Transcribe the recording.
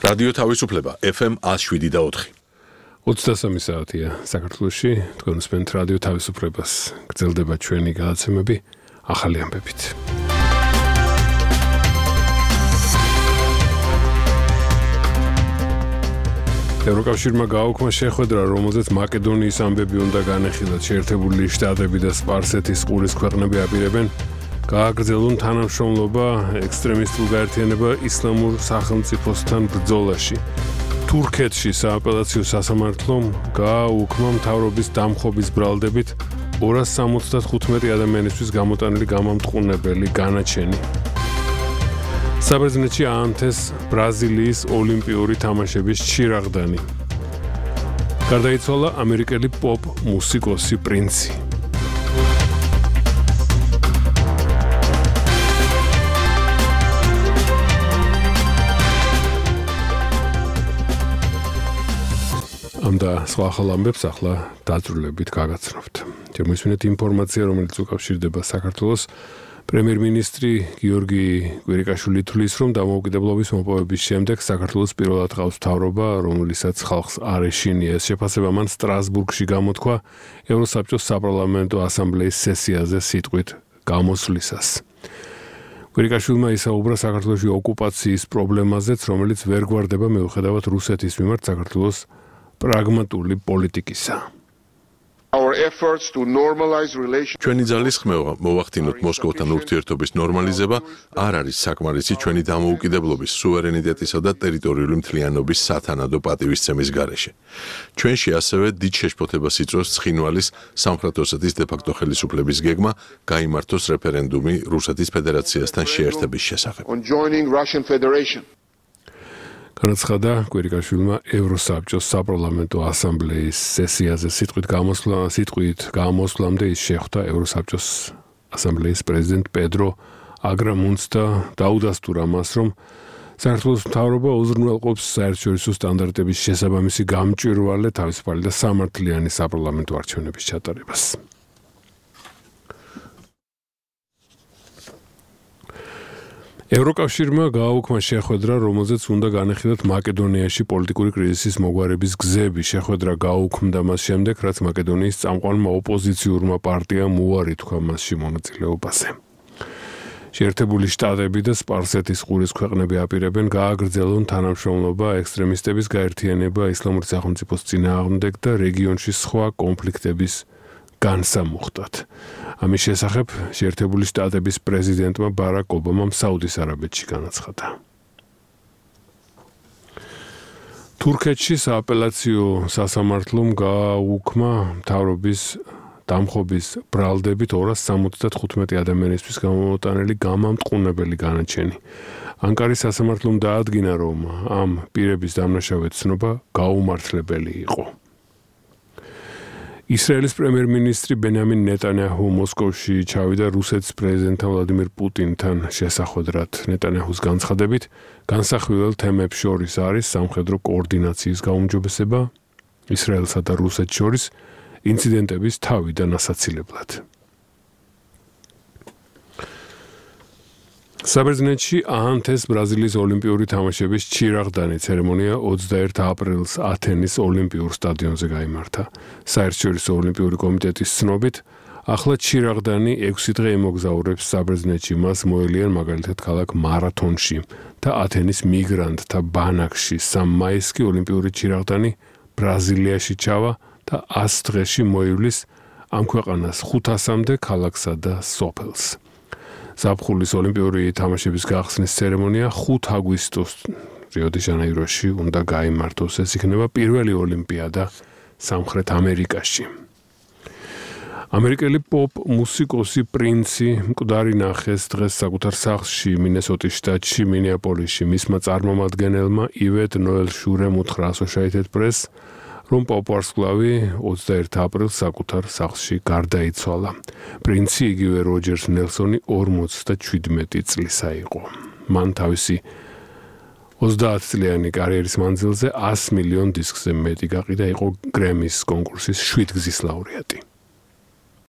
რადიო თავისუფლება FM 107.4. 23 საათია საქართველოში, თქვენ უსმენთ რადიო თავისუფლებას. გრძელდება ჩვენი გადაცემები ახალი ამბებით. ევროკავშირმა გააუქმა შეხვედრა, რომელზეც მაკედონიის ამბები უნდა განეხილათ. შეერთებული შტატები და სპარსეთის ყურის ქვეყნები აპირებენ გააგრძელონ თანამშრომლობა ექსტრემისტულ გაერთიანება ისლამურ სახელმწიფოსთან ბრძოლაში. თურქეთში სააპელაციო სასამართლომ გააუქმა მთავრობის დამხობის ბრალდებით 275 ადამიანისთვის გამოტანილი გამამტყუნებელი განაჩენი. საბერძნეთში აანთეს ბრაზილიის ოლიმპიური თამაშების ჩირაღდანი. გარდაიცვალა ამერიკელი პოპ მუსიკოსი პრინცი. და სხვა ახალ ამბებს ახლა დაძრულებით გაგაცნობთ. შემოისმინეთ ინფორმაცია, რომელიც უკავშირდება საქართველოს. პრემიერ-მინისტრი გიორგი კვირიკაშვილი თვლის, რომ დამოუკიდებლობის მოპოვების შემდეგ საქართველოს პირველად ყავს მთავრობა, რომელსაც ხალხს არ ეშინია. ეს შეფასება მან სტრასბურგში გამოთქვა ევროსაბჭოს საპარლამენტო ასამბლეის სესიაზე სიტყვით გამოსვლისას. კვირიკაშვილმა ისაუბრა საქართველოში ოკუპაციის პრობლემაზეც, რომელიც ვერ გვარდება მიუხედავად რუსეთის მიმართ საქართველოს პრაგმატული პოლიტიკისა. ჩვენი ძალის ხმევა მოვახდინოთ მოსკოვთან ურთიერთობის ნორმალიზება არ არის საკმარისი ჩვენი დამოუკიდებლობის, სუვერენიტეტისა და ტერიტორიული მთლიანობის სათანადო პატივისცემის გარეშე. ჩვენში ასევე დიდ შეშფოთებას იწვევს ცხინვალის სამხრეთ ოსეთის დე-ფაქტო ხელისუფლების გეგმა გაიმართოს რეფერენდუმი რუსეთის ფედერაციასთან შეერთების შესახებ. განაცხადა კვირიკაშვილმა ევროსაბჭოს საპარლამენტო ასამბლეის სესიაზე სიტყვით გამოსვლამდე ის შეხვდა ევროსაბჭოს ასამბლეის პრეზიდენტ პედრო აგრამუნს და დაუდასტურა მას, რომ საქართველოს მთავრობა უზრუნველყოფს საერთაშორისო სტანდარტების შესაბამისი გამჭვირვალე, თავისუფალი და სამართლიანი საპარლამენტო არჩევნების ჩატარებას. ევროკავშირმა გააუქმა შეხვედრა, რომელზეც უნდა განეხილათ მაკედონიაში პოლიტიკური კრიზისის მოგვარების გზები. შეხვედრა გააუქმდა მას შემდეგ, რაც მაკედონიის წამყვანმა ოპოზიციურმა პარტიამ უარი თქვა მასში მონაწილეობაზე. შეერთებული შტატები და სპარსეთის ყურის ქვეყნები აპირებენ გააგრძელონ თანამშრომლობა ექსტრემისტების გაერთიანება ისლამური სახელმწიფოს წინააღმდეგ და რეგიონში სხვა კონფლიქტების განსამუხტად. ამის შესახებ შეერთებული შტატების პრეზიდენტმა ბარაკ ობამამ საუდის არაბეთში განაცხადა. თურქეთში სააპელაციო სასამართლომ გააუქმა მთავრობის დამხობის ბრალდებით 275 ადამიანისთვის გამომოტანილი გამამტყუნებელი განაჩენი. ანკარის სასამართლომ დაადგინა, რომ ამ პირების დამნაშავე ცნობა გაუმართლებელი იყო. ისრაელის პრემიერ-მინისტრი ბენიამინ ნეტანიაჰუ მოსკოვში ჩავიდა რუსეთის პრეზიდენტთან ვლადიმირ პუტინთან შესახვედრად. ნეტანიაჰუს განცხადებით, განსახილველ თემებს შორის არის სამხედრო კოორდინაციის გაუმჯობესება ისრაელსა და რუსეთს შორის ინციდენტების თავიდან ასაცილებლად. საბერძნეთში აანთეს ბრაზილიის ოლიმპიური თამაშების ჩირაღდანი. ცერემონია 21 აპრილს ათენის ოლიმპიურ სტადიონზე გაიმართა. საერთაშორისო ოლიმპიური კომიტეტის ცნობით, ახლა ჩირაღდანი 6 დღე იმოგზაურებს საბერძნეთში. მას მოელიან მაგალითად ქალაქ მარათონში და ათენის მიგრანტთა ბანაკში. 3 მაისში ოლიმპიური ჩირაღდანი ბრაზილიაში ჩავა და 100 დღეში მოივლის ამ ქვეყანას 500-მდე ქალაქსა და სოფელს. ზაფხულის ოლიმპიური თამაშების გახსნის ცერემონია 5 აგვისტოს რიო-დე-ჟანეიროში უნდა გაიმართოს. ეს იქნება პირველი ოლიმპიადა სამხრეთ ამერიკაში. ამერიკელი პოპ მუსიკოსი პრინცი მკვდარი ნახეს დღეს საკუთარ სახლში მინესოტის შტატში მინეაპოლისში. მისმა წარმომადგენელმა ივეტ ნოელ შურემ უთხრა Associated Press, რომ პოპ-ვარსკვლავი 21 აპრილს საკუთარ სახლში გარდაიცვალა. პრინცი იგივე როჯერს ნელსონი 57 წლისა იყო. მან თავისი 30 წლიანი კარიერის მანძილზე 100 მილიონ დისკზე მეტი გაყიდა, იყო გრემის კონკურსის 7 გზის ლაურეატი.